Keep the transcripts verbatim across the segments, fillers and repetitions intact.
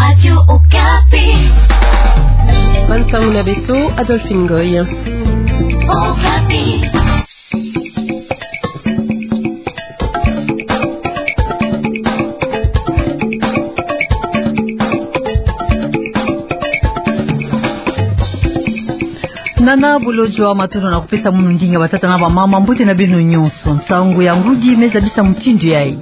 Radio Okapi. Bansangu na beto, Adolphine Ngoy. Okapi. Nana Bolodjwa, matondo na kupesa munu ndinga, batata na bamama, mbote na beno nyonso. Nsangu ya ngudi me zabisa mutindu yayi.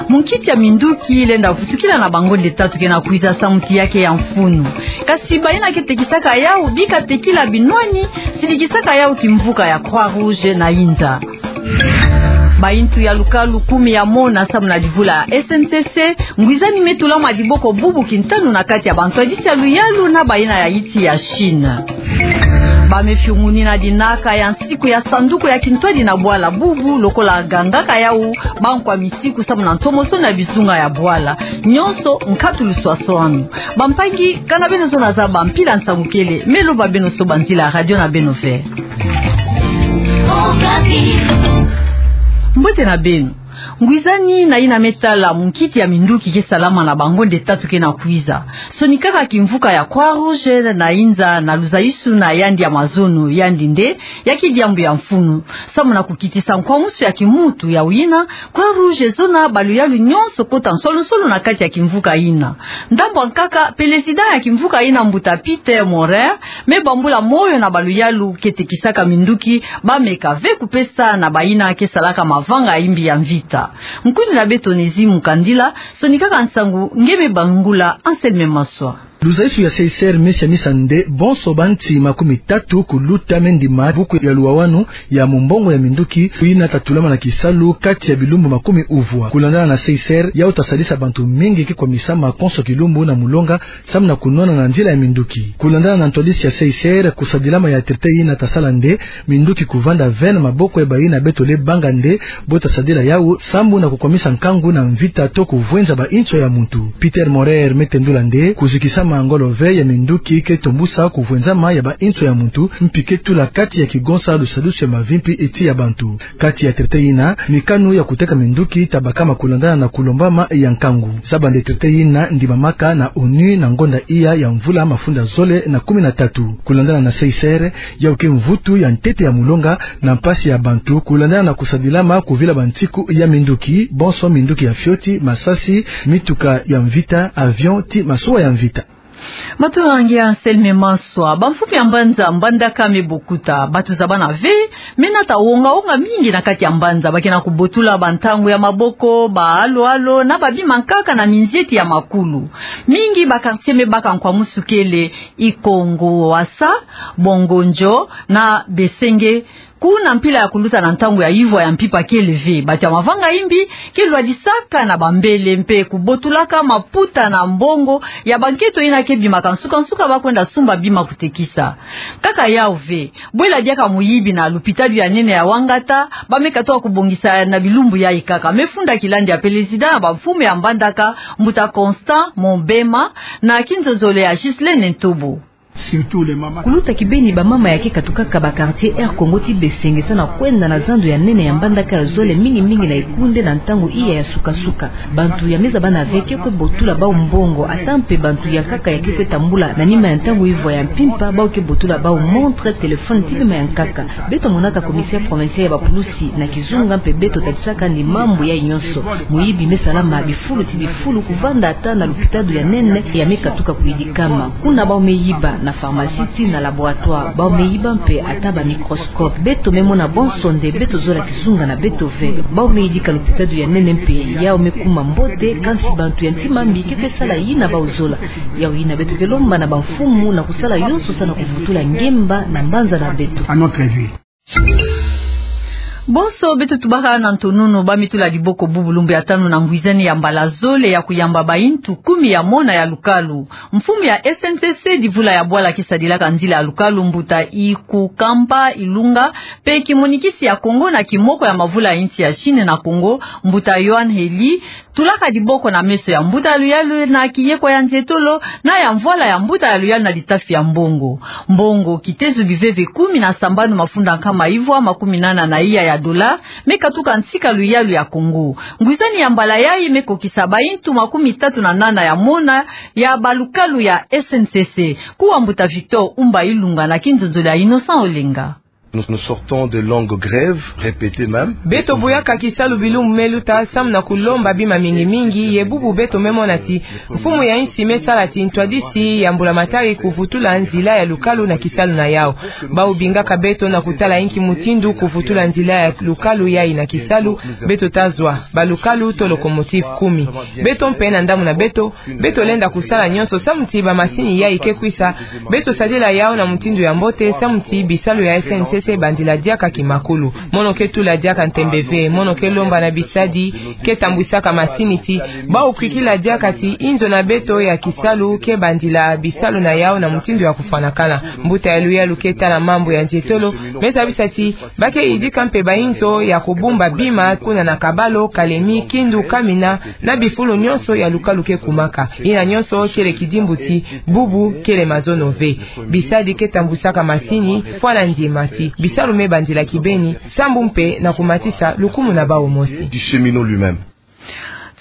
Munkiti ya minduki lenda vusukila na bangonde tatu ke na kwiza samu ti yake ya mfunu. Kasi bayina ke tekisaka yawu, bika tekila binwani, sidikisaka yawu kimvuka ya Croix-Rouge na Inza. Bayintu ya lukalu kumi ya mona samu na divula ya S N C C, ngwizani me tulama diboko bubu kintanu na kati ya bantwadisi ya luyalu na bayina ya insi ya Chine. Ba me fiunguni na dinaka ya nsiku ya sanduku ya kintwadi na bwala bubu, lokola gangaka yawu bankwa misiku samu na ntomosono ya bizunga ya bwala. Nyonso nkatu luswaswanu. Bampangi, kana beno zono zaba mpila nsangu kele, me loba beno soba nzila radio na beno ve. Mbote na beno. Ngwizani na yina me tala munkiti ya minduki ke salama na bangonde tatu ke na kwiza. Sonikaka kimvuka ya Croix-Rouge na Inza na luzayisuna yandi ya mazono, yandi nde ya kidiambu ya mfunu. Samu na kukitisa nkwamusu ya kimuntu yawu yina, Croix-Rouge ezona ba luyalu nyonso kota nswaluswalu na kati ya kimvuka yina. Ndambu ya nkaka, pelezida ya kimvuka yina, mbuta Peter Maurer, me bambula moyo na ba luyalu ke tekisaka minduki, ba meka ve kupesa na bayina ke salaka mavanga imbi ya mvita. Nkundi na beto Onésime Mukandila, sonikaka nsangu nge me bangula Anselme Maswa. Luzayisu ya C I C R me siamisa nde bonso banti makumi tatu kuluta me ndima buku ya luwawanu ya mumbongo ya minduki, yina ta tulama na kisalu kati ya bilumbu makumi uvwa. Kulandana na C I C R, yawu ta sadisa bantu mingi ke kwamisama konso kilumbu na mulonga, samu na kunwana na nzila ya minduki. Kulandana na ntwadisi ya C I C R, kusadilama ya traité yina ta sala nde minduki kuvanda ve na maboko ya bayina beto le banga nde bo ta sadila yawu, samu na kukwamisa nkangu na mvita to kuvwenza ba inso ya muntu. Peter Maurer me tendula nde kuzikisama ngolo ve ya minduki ke tombusa kuvwenzama ya ba inso ya muntu, mpi ke tula kati ya kigonsa lusadusu ya mavimpi ti ya bantu. Kati ya traité yina, mikanu ya kuteka minduki ta bakama kulandana na kulombama ya nkangu. Zaba nde traité yina ndimamaka na ONU na ngonda iya ya mvula mafunda zole na kumi na tatu. Kulandana na C I C R, yawu ke mvutu ya ntete ya mulonga na mpasi ya bantu, kulandana na kusadilama kuvila bantiku ya minduki, bonso minduki ya fioti, masasi, mituka ya mvita, avion, ti masuwa ya mvita. Matondo na nge Anselme Maswa. Bamfumu ya mbanza Mbandaka me bokuta, bantu zabana ve, me nata wonga-wonga mingi na kati ya mbanza, ba ke na kubotula bantangu ya maboko, ba alo-alo, na babima nkaka na minzieti ya makulu. Mingi ba quartier me baka nkwamusu kele, Ikongo Wasa, Bongonjo, na Besenge, kuna mpila ya kuluta na ntangu ya ivwa ya mpimpa kele ve. Bantu ya mavanga imbi ke lwadisaka na bambele mpe kubotulaka maputa na mbongo ya banketo yina ke bimaka nsuka-nsuka ba kwenda sumba bima kutekisa. Kaka yawu ve, bwela diaka muyibi na lupitalu ya nene ya Wangata, ba me katuka kubongisa na bilumbu yayi kaka. Me funda kilandi ya pelezida na bamfumu ya Mbandaka, mbuta Constant Mombema, na kinzonzolo ya Ghislaine Ntobo. Kuluta kibeni bamama ya ke katukaka ba quartier Air Congo ti Besenge sa na kwenda na zando ya nene ya Mbandaka ya zole, mingi-mingi na ekunde na ntangu iya ya suka-suka. Bantu ya me zabana ve ke kwe botula bawu mbongo, ata mpe bantu ya nkaka ya ke kwe tambula na nima ya ntangu ivwa ya mpimpa, bawu ke botula bawu montre, téléphone, ti bima ya nkaka. Beto monaka commissaire provincial ya bapulusi na kizunga mpe beto talisaka ni mambu yayi nyonso. Muyibi me salama bifulu ti bifulu, kuvanda ata na lupitalu ya nene ya me katuka kuyidikama. Kuna bawu me yiba na pharmacie ti na laboratoire, bawu me yiba mpe ata ba microscope. Beto me mona bonso nde beto zola kizunga na beto ve. Bawu me yidika lupitalu ya nene mpe yawu me kuma mbote, kansi bantu ya ntima mbi ke kwe sala yina bawu zola. Yawu yina beto ke lomba na bamfumu na kusala yonso sa na kuvutula ngemba na mbanza na beto. Bonso beto tubaka na ntonono, ba me tula diboko bubu lumbu ya tanu na ngwizani ya mbala zole ya kuyamba bayintu kumi ya mona ya lukalu. Mfumu ya S N C C divula ya bwala ke sadilaka nzila ya lukalu, mbuta Ikukamba Ilunga, mpe kimonikisi ya Congo na kimoko ya mavula ya insi ya Chine na Congo, mbuta Yohan Heli, Tulaka diboko na meso ya mbuta ya luyalu na kiyeko ya nzietolo na ya mvwala ya mbuta ya luyalu na litafi ya mbongo. Mbongo kitezo biveve kumi na sambanu mafunda nkama ivwa makumi nana na iya ya dola me katuka nsi ka luyalu ya Kongo. Ngwizani ya mbala yayi me kokisa baintu makumi tatu na nana ya mona ya balukalu ya S N C C. Kuwa mbuta Victor Umba Ilunga na kinzonzolo ya Innocent Olenga. Nous, nous sortons de longues grèves, répétées même. Beto buyaka kisalu bilumbu me luta samu na kulomba bima mingi mingi, ye bubu beto me mona ti mfumu ya insi me sala ti ntwadisi ya mbulamatari kuvutula nzila ya lukalu na kisalu na yau. Bawu bingaka beto na kutala inki mutindu kuvutula nzila ya lukalu yayi na kisalu beto ta zwa, balukalu to locomotive kumi. Beto mpe na ndambu na beto, beto lenda kusala nyonso samu ti bamasini yayi ke kwisa, beto sadila yau na mutindu ya mbote samu ti bisalu ya S N C C bandila diaka kimakulu. Mono ke tula diaka ntembe ve, mono ke lomba na bisadi ke tambwisaka masini ti bawu kwikila diaka ti inzo na beto ya kisalu ke bandila bisalu na yau na mutindu ya kufwanakana. Mbuta ya luyalu ke tala mambu ya nzietolo me zabisa ti ba ke yidika mpe bainzo ya kubumba bima kuna na Kabalo, Kalemi, Kindu, Kamina, na bifulu nyonso ya lukalu ke kumaka. Yina nyonso kele kidimbu ti bubu kele mazono ve. Bisadi ke tambwisaka masini fwana ndiema ti bisalu me bandila kibeni, sambu mpe na kumatisa lukumu na bawu mosi. Du cheminot lui-même.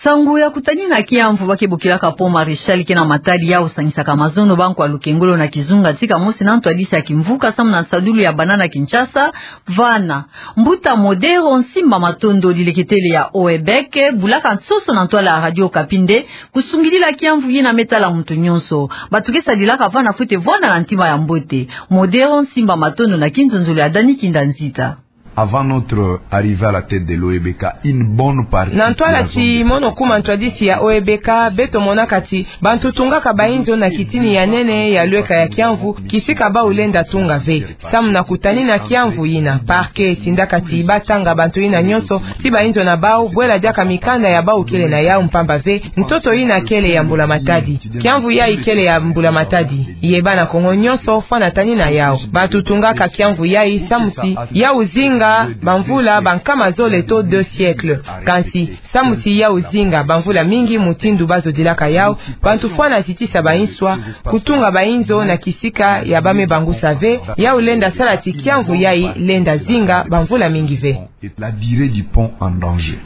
Nsangu ya kutanina kiamvu ba ke bokilaka Pont Maréchal ke na matadi ya kusangisaka mazono, bankwa lukengolo na kizunga tika mosi na ntwadisi ya kimvuka samu na nsadulu ya bana na Kinshasa. Vana, mbuta Modero Nsimba Matondo, dileketele ya Oebek, bulaka nsoso na ntwala ya Radio Okapi nde kusungidila kiamvu yina me tala muntu nyonso. Bato ke sadilaka vana fwete vwanda na ntima ya mbote. Modero Nsimba Matondo na kinzonzolo ya Dani Kinda Nzita. Avant notre arrivée à la tête de l'O E B K, une bonne partie. Na ntwala ti mono kuma ntwadisi ya O E B K, beto monaka ti bantu tungaka bainzo na kitini ya nene ya lweka ya kiamvu, kisika bawu lenda tunga ve. Samu na kutanina kiamvu yina, parquet tindaka ti ba tanga bantu yina nyonso ti bainzo na bawu bwela diaka mikanda ya bawu kele na yau, mpamba ve ntoto yina kele ya mbulamatadi. Kiamvu yayi kele ya mbulamatadi. Ye bana Kongo nyonso fwana tanina yau. Bato tungaka kiamvu yayi samu ti yau zinga bamvula bankama zole to deux siècles. Kansi samu ti yau zinga bamvula mingi mutindu bazo dilaka yau, bantu fwana zitisa bainswa, kutunga bainzo na kisika ya ba me bangusa ve, yau lenda sala ti kiamvu yayi lenda zinga bamvula mingi ve. Et la durée du pont en danger.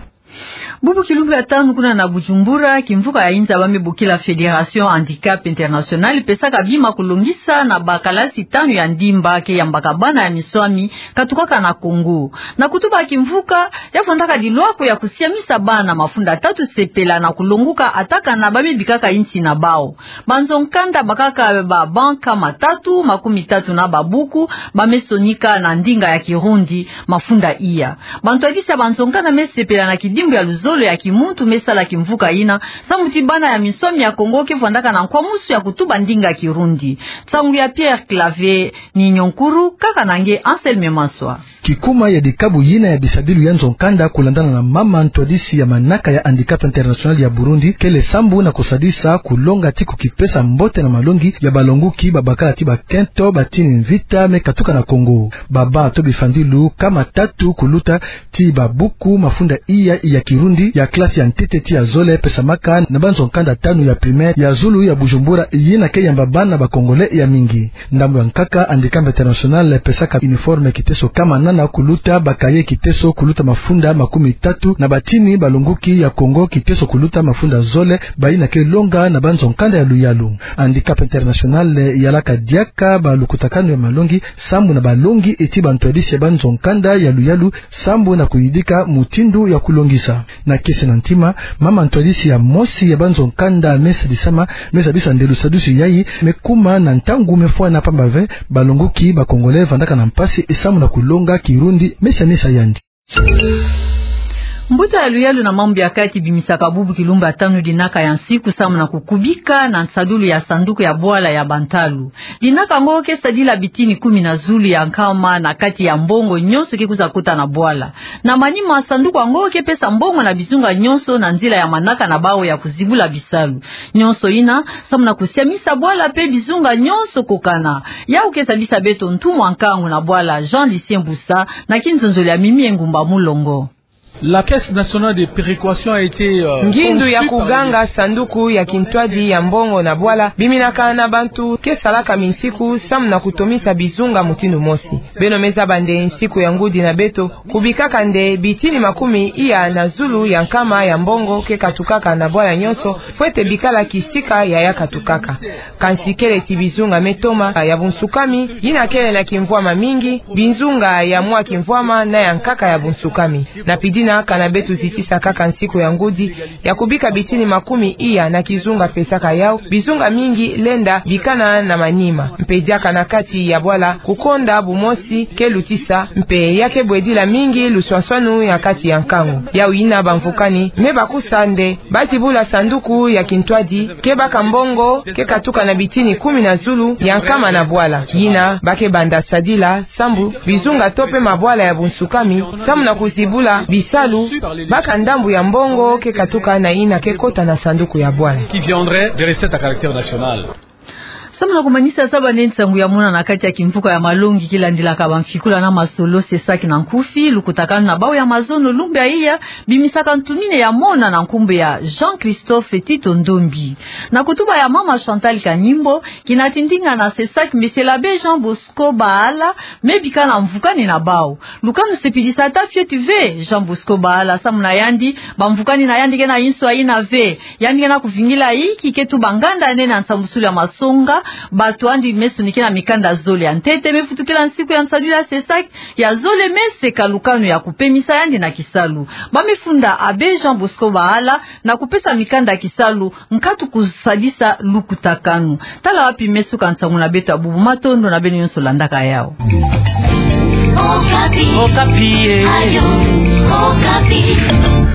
Bubu kilumbu ya tanu kuna na Bujumbura, kimvuka ya inza ba me bokila Fédération Handicap International pesaka bima kulongisa na bakalasi tanu ya ndimba ke yambaka bana ya miswami katukaka na Kongo. Na kutuba kimvuka, ya fondaka dilwako ya kusiamisa bana mafunda tatu sepela na kulonguka atakana ba me bikaka insi na bawu. Banzo nkanda bakaka ba banc nkama tatu, makumi tatu na babuku, ba me sonika na ndinga ya Kirundi, mafunda iya. Bantwadisi ya banzo nkanda me sepela na kidimbu ya luzolo ya kimuntu me sala kimvuka yina, samu ti bana ya miswami ya Kongo ke vwandaka na nkwamusu ya kutuba ndinga Kirundi. Nsangu ya Pierre Claver Ninionkuru, kaka na nge Anselme Maswa. Kikuma ya dikabu yina ya bisadilu ya nzo nkanda, kulandana na mama ntwadisi ya manaka ya Handicap International ya Burundi, kele sambu na kusadisa kulonga ti kukipesa mbote na malongi ya balonguki babakala ti bakento batini mvita me katuka na Kongo. Ba banc to bifandilu nkama tatu kuluta ti babuku mafunda iya ya Kirundi ya classe ya ntete ti ya zole pesamaka na banzo nkanda tanu ya primaire ya zulu ya Bujumbura, yina ke yamba bana ba Congolais ya mingi. Ndambu ya nkaka, Handicap International pesaka uniforme kiteso nkama nana kuluta, ba cahier kiteso kuluta mafunda makumi tatu na batini, balonguki ya Kongo kiteso kuluta mafunda zole, bayina ke longa na banzo nkanda ya luyalu. Handicap International yalaka diaka balukutakanu ya malongi sambu na balongi ti bantwadisi ya banzo nkanda ya luyalu sambu na kuyidika mutindu ya kulongisa. Na kiese na ntima, mama ntwadisi ya mosi ya banzo nkanda me sadisama, me zabisa nde lusadusu yayi me kuma na ntangu me fwana, mpamba ve balonguki ba Congolais vandaka na mpasi sambu na kulonga Kirundi, me sianisa yandi. Mbuta ya luyalu na mambu ya kati bimisaka bubu kilumbu ya tanu dinaka ya nsiku sambu na kukubika na nsadulu ya sanduku ya bwala ya bantalu. Dinaka yango ke sadila bitini kumi na zulu ya nkama na kati ya mbongo nyonso ke kwiza kota na bwala. Na manima, sanduku yango ke pesa mbongo na bizunga nyonso na nzila ya manaka na bawu ya kuzibula bisalu. Nyonso yina sambu na kusiamisa bwala mpe bizunga nyonso kokana. Yawu ke zabisa beto ntumwa nkangu na bwala Jean Lucien Busa na kinzonzolo ya Mimi Engumba Mulongo. La caisse nationale de péréquation a été, euh, ngindu ya kuganga sanduku ya kintwadi ya mbongo na bwala biminaka na bantu ke salaka minsiku samu na kutomisa bizunga mutindu mosi. Beno me zaba nde nsiku ya ngudi na beto kubikaka nde bitini makumi iya na zulu ya nkama ya mbongo ke katukaka na bwala nyonso, fwete bikala kisika ya ya katukaka. Kansi kele ti bizunga me toma ya bunsukami, yina kele na kimvwama mingi, bizunga ya mwa kimvwama na ya nkaka ya bunsukami. Na pidina kana beto zitisa kaka nsiku ya ngudi ya kubika bitini makumi iya na kizunga pesaka yau, bizunga mingi lenda bikana na manima. Mpe diaka na kati ya bwala kukonda bumosi ke lutisa, mpe ya ke bwedila mingi luswaswanu ya kati ya nkangu. Yau yina bamvukani me bakusa nde ba zibula sanduku ya kintwadi ke baka mbongo ke katuka na bitini kumi na zulu ya nkama na bwala. Yina ba ke banda sadila sambu bizunga to pe mabwala ya bunsukami samu na kuzibula bisalu baka ndambu ya mbongo ke katuka na yina ke kota na sanduku ya bwala. Qui viendrait des recettes à caractère national. Samu na kumanisa, zaba nde nsangu ya mona na kati ya kimvuka ya malongi ki landilaka bamfikula na masolo, CESAC na nkufi, lukutakanu na bau ya mazono lumbu ya iya, bimisaka ntumine ya mona na nkumbu ya Jean-Christophe Tito Ndombi. Na kutuba ya mama Chantal Kanimbo, kina tindinga na CESAC, Monsieur l'abbé Jean Bosco Bahala, me bika na mvukani na bau. Lukanu sepilisa ta fioti ve. Jean Bosco Bahala, samu na yandi, bamvukani na yandi ke na inswa yina ve. Yandi ke na kuvingila inki ke tuba nganda nene ya nsambusulu ya masonga, bato andi me sonikena mikanda zole ya ntete me futukila nsiku ya nsadulu ya CESAC ya zole me seka lukanu ya kupemisa yandi na kisalu. Ba me funda abbé Jean Bosco Bahala na kupesa mikanda ya kisalu nkatu kusadisa lukutakanu. Tala wapi me suka nsangu na beto ya bubu. Matondo na beno nyonso landaka yau. Okapi. Okapi, eh. Ayo, Okapi.